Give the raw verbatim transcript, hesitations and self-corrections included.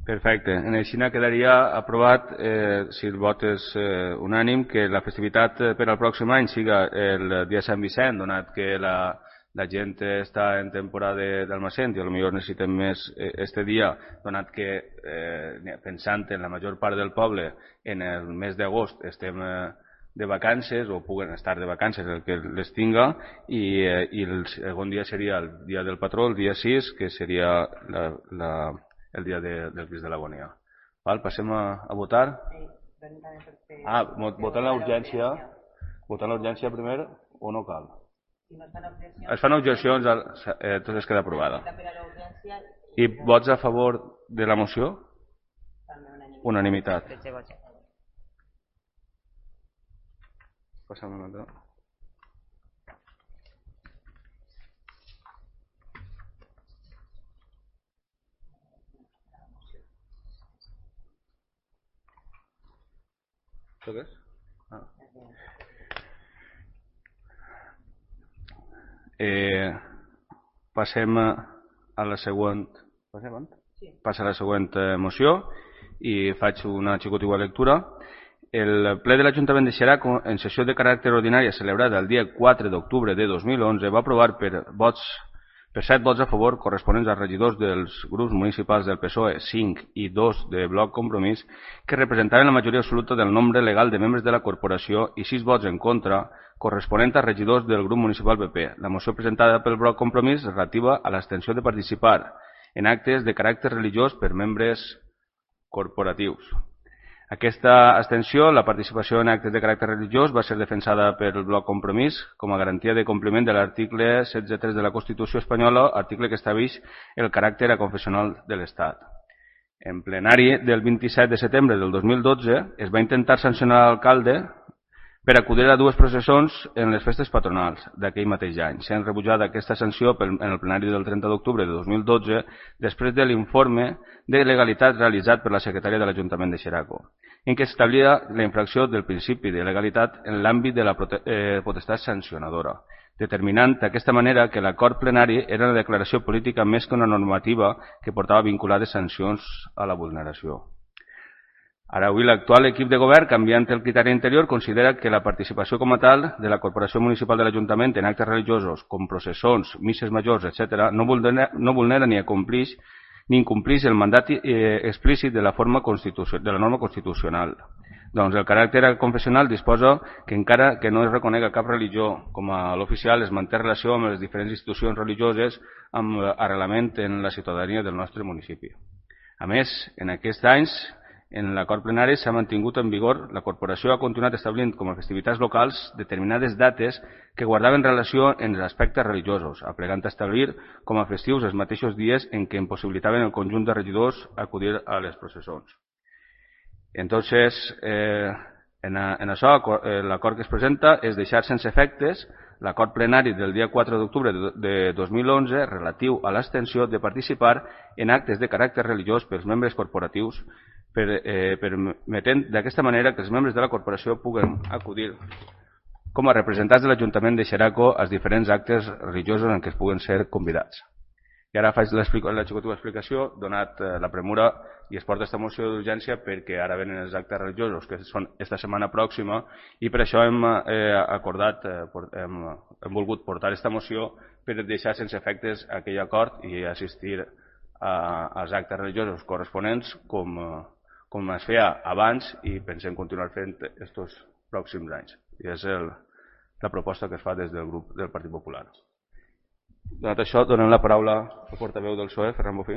Perfecte. En així quedaria aprovat, eh, si el vot és eh, unànim, que la festivitat per al pròxim any siga el dia Sant Vicent, donat que la, la gent està en temporada d'almacén i potser necessitem més eh, este dia, donat que eh, pensant en la major part del poble en el mes d'agost estem eh, de vacances o puguen estar de vacances el que les tinga i, eh, i el segon dia seria el dia del patró, el dia sis, que seria la, la el dia de, del Crist de l'Agonia. Passem a, a votar? Ah, votar l'urgència. Votar l'urgència primer o no cal? Es fan objeccions, eh, tot es queda aprovada. I vots a favor de la moció? Unanimitat. Passem a un altre. Això què és? Ah. Eh, passem a la següent... Passem? Sí. Passa a la següent moció i faig una xicotigua lectura. El ple de l'Ajuntament de Xerac, en sessió de caràcter ordinària celebrada el dia quatre d'octubre de dos mil onze, va aprovar per vots per set vots a favor corresponents als regidors dels grups municipals del P S O E, cinc i dos de Bloc Compromís, que representaven la majoria absoluta del nombre legal de membres de la corporació i sis vots en contra corresponent als regidors del grup municipal P P. La moció presentada pel Bloc Compromís relativa a l'extensió de participar en actes de caràcter religiós per membres corporatius. Aquesta abstenció, la participació en actes de caràcter religiós, va ser defensada pel Bloc Compromís com a garantia de compliment de l'article setze tres de la Constitució espanyola, article que estableix el caràcter aconfessional de l'Estat. En plenari del vint-i-set de setembre del dos mil dotze es va intentar sancionar l'alcalde per acudir a dues processons en les festes patronals d'aquell mateix any, sent rebutjada aquesta sanció en el plenari del trenta d'octubre de dos mil dotze després de l'informe de legalitat realitzat per la secretària de l'Ajuntament de Xeraco, en què establia la infracció del principi de legalitat en l'àmbit de la potestat sancionadora, determinant d'aquesta manera que l'acord plenari era una declaració política més que una normativa que portava vinculades sancions a la vulneració. Ara, avui, l'actual equip de govern, canviant el criteri anterior, considera que la participació com a tal de la Corporació Municipal de l'Ajuntament en actes religiosos, com processons, misses majors, etcètera, no vulnera, no vulnera ni acomplix ni incomplix el mandat eh, explícit de la, forma de la norma constitucional. Doncs el caràcter confessional disposa que encara que no es reconega cap religió com a l'oficial, es manté relació amb les diferents institucions religioses amb arrelament en la ciutadania del nostre municipi. A més, en aquests anys, en l'acord plenari s'ha mantingut en vigor, la corporació ha continuat establint com a festivitats locals determinades dates que guardaven relació en els aspectes religiosos, aplegant a establir com a festius els mateixos dies en què impossibilitaven el conjunt de regidors acudir a les processons. Entonces, eh, en, a, en això, l'acord que es presenta és deixar sense efectes l'acord plenari del dia quatre d'octubre de dos mil onze relatiu a l'extensió de participar en actes de caràcter religiós pels membres corporatius, per, eh, permetent d'aquesta manera que els membres de la corporació puguen acudir com a representants de l'Ajuntament de Xeraco als diferents actes religiosos en què es puguen ser convidats. I ara faig la xicotiva explicació, donat eh, la premura, i es porta aquesta moció d'urgència perquè ara venen els actes religiosos, que són esta setmana pròxima, i per això hem eh, acordat, eh, hem, hem volgut portar aquesta moció per deixar sense efectes aquell acord i assistir a, als actes religiosos corresponents com, com es feia abans i pensem continuar fent estos pròxims anys. I és el, la proposta que es fa des del grup del Partit Popular. Donat això, donem la paraula al portaveu del P S O E, Ferran Bofí.